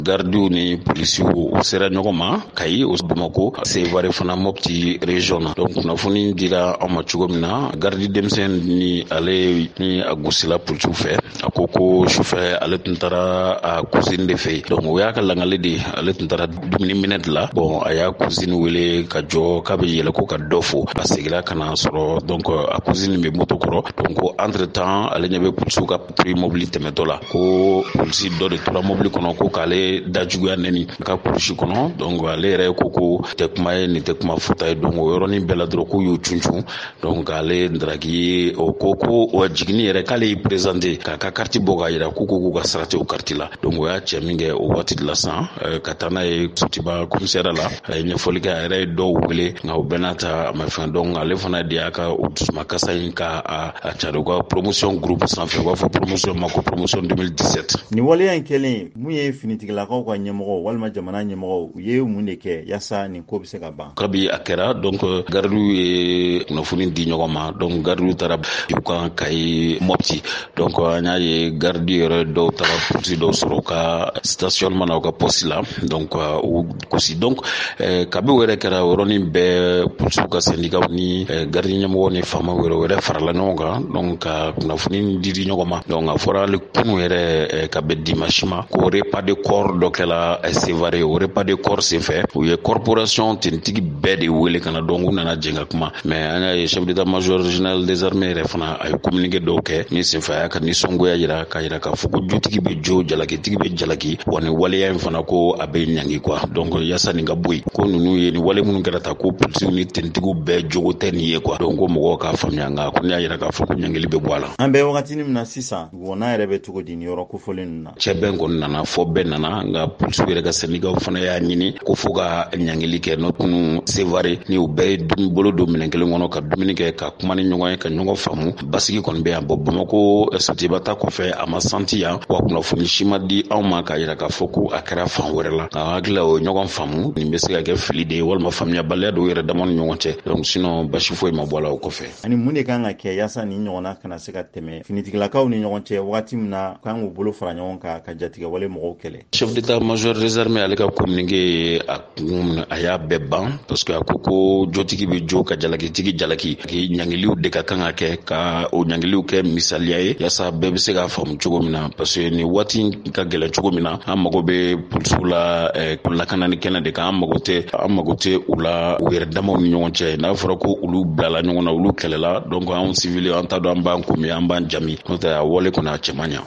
Gardiw ni polisiw u sera ɲɔgɔn ma Kayi, o Bamako, Sevare fana, Mopti région na. Donc kunnafoni dira an ma cogo min na, gardi denmisɛn ni ale ni a gosila polisiw fɛ, a ko ko sufɛ ale tun taara a cousine de fɛ yen. Donc o y'a ka langali de ye, ale tun taara dumuni minɛ de la. Bon, a y'a cousine wele ka jɔ k'a bɛ yɛlɛ ko ka dɔ fo, a seginna ka na sɔrɔ donc a cousine bɛ moto kɔrɔ. Donc ko entre temps ale ɲɛ bɛ polisiw ka patrouille mobili tɛmɛtɔ la, ko polisi dɔ de tora mobili kɔnɔ ko k'ale da juguya nɛni ka kulusi kɔnɔ. Donc ale yɛrɛ ko ko tɛ kuma ye, nin tɛ kuma fɔta ye. Donc o yɔrɔnin bɛɛ la dɔrɔn k'u y'u cuncun. Donc ale ndaraki o ko ko o jiginni yɛrɛ k'ale y'i présenter k'a ka kariti bɔ k'a yira, k'u ko k'u ka sara tɛ o kariti la. Donc o y'a cɛ min kɛ o waati de la san ka taa n'a ye Sotiba commissariat la. A ye ɲɛfɔli kɛ, a yɛrɛ ye dɔw wele, nka o bɛɛ n'a ta a ma fɛn. Donc ale fana de y'a ka o dusumakasa in ka a cari u ka promotion groupe sanfɛ, u b'a fɔ promotion ma ko promotion 2017. Nin waleya in kɛlen, mun ye finitigilakaw ka ɲɛmɔgɔw walima jamana ɲɛmɔgɔw, u ye mun de kɛ yaasa nin ko bɛ se ka ban? Kabi a kɛra, donc gardiw ye kunnafoni di ɲɔgɔn ma. Donc gardiw taara u kan Kayi, Mopti. Donc an y'a ye gardi yɛrɛ dɔw taara polisi dɔw sɔrɔ u ka stationnement na, u ka poste la, donc u gosi. Donc kabi o yɛrɛ kɛra, o yɔrɔnin bɛɛ polisiw ka syndicat ni gardi ɲɛmɔgɔ ni faamaw yɛrɛ yɛrɛ farala ɲɔgɔn kan, donc ka kunnafoni di di ɲɔgɔn ma. Donc a fɔra hali kunu yɛrɛ, ka bɛn dimanche ma, ko repas de corps dɔ kɛla Sevare. O repas de corps senfɛ, u ye corporation tenitigi bɛɛ de wele ka na. Donc u nana jɛn ka kuma. Mais an y'a ye chef d'état major général des armées yɛrɛ fana, a ye communiqué dɔw kɛ min senfɛ a y'a ka nisɔngoya yira, k'a yira k'a fɔ ko jotigi bɛ jo, jalakitigi bɛ jalaki, wa nin waleya in fana ko a bɛ ɲangi quoi. Donc yaasa nin ka bɔ yen, ko ninnu ye nin wale minnu kɛra ta, ko polisiw ni tenitigiw bɛɛ jogo tɛ nin ye quoi. Donc ko mɔgɔw k'a faamuya, nka ko ne y'a yira k'a fɔ ko ɲangili bɛ bɔ a la. An bɛ wagatinin min na sisan, dugukɔnɔna yɛrɛ bɛ cogo di nin yɔrɔ kofɔlen ninnu na? Cɛbɛn kɔni nana fɔ, bɛɛ nana, nka polisiw yɛrɛ ka sɛndikaw fana y'a ɲini ko fo ka ɲangili kɛ. N'o kunu Sevare ni u bɛɛ ye bolo don minɛn kelen kɔnɔ ka dumuni kɛ, ka kuma ni ɲɔgɔn ye, ka ɲɔgɔn faamu, basigi kɔni bɛ yan. Bɔn, Bamako Sotiba ta kɔfɛ, a ma santi yan wa kunnafoni si ma di anw ma k'a yira k'a fɔ ko a kɛra fan wɛrɛ la. Nka hakili la, o ye ɲɔgɔn faamu, nin bɛ se ka kɛ fili de ye walima faamuyabaliya dɔw yɛrɛ dama ni ɲɔgɔn cɛ. Donc sinon basi foyi ma bɔ a la o kɔfɛ. Ani mun de kan ka kɛ yaasa nin ɲɔgɔnna kana se ka tɛmɛ finitigilakaw ni ɲɔgɔn cɛ wagati min na kan k'u bolo fara ɲɔgɔn kan ka jatigɛwale mɔgɔw kɛlɛ? Chef d'état-major des armées, ale ka communiqué ye a kun, a y'a bɛɛ ban, parce que a ko ko jotigi bɛ jo ka jalakitigi jalaki, ɲangiliw de ka kan ka kɛ, ka o ɲangiliw kɛ misaliya ye yaasa bɛɛ bɛ se k'a faamu cogo min na, parce que nin waati ka gɛlɛn cogo min na, an mago bɛ polisiw la lakanani kɛnɛ de kan. An mago tɛ u la u yɛrɛ damaw ni ɲɔgɔn cɛ. N'a fɔra ko olu bilala ɲɔgɔn na, olu kɛlɛla, donc anw civil, an t'a dɔn an b'an komi an b'an jami. N'o tɛ, a wale kɔni, a cɛ man ɲa.